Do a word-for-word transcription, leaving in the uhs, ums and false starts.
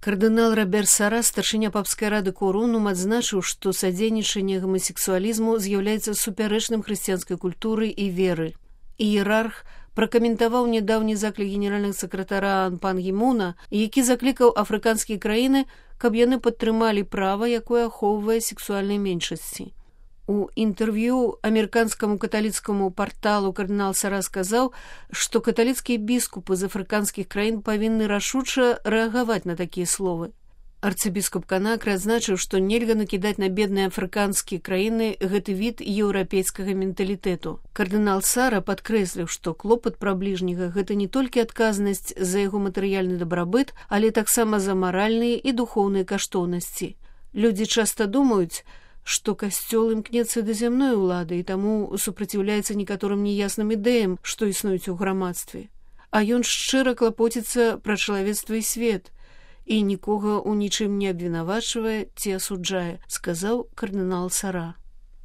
Кардынал Робер Сара, старшыня папскай рады Корунум, адзначыў, што садзейнічанне гамасексуалізму з'яўляецца супярэчным хрысціянскай культуры і веры. Іерарх пракаментаваў нядаўні заклік генеральнага сакратара Пан Гі Муна, які заклікаў афрыканскія краіны, каб яны падтрымалі права, якое ахоўвае сексуальнай меншасці. У інтэрв'ю амерыканскаму каталіцкаму парталу кардынал Сара сказаў, што каталіцкія біскупы з афрыканскіх краін павінны рашуча рэагаваць на такія словы. Арцыбіскуп Канакры адзначыў, што нельга накідаць на бедныя афрыканскія краіны гэты від еўрапейскага менталітэту. Кардынал Сара падкрэсліў, што клопат пра бліжняга – гэта не толькі адказнасць за яго матэрыяльны дабрабыт, але таксама за маральныя і духоўныя каштоўнасці. Людзі часта думаюць, што касцёл імкнецца да зямной улады і таму супраціўляецца некаторым неясным ідэям, што існуюць у грамадстве. А ён шчыра клапоціцца пра чалавецтва і свет і нікога ў нічым не абвінавачвае ці асуджае, сказаў кардынал Сара.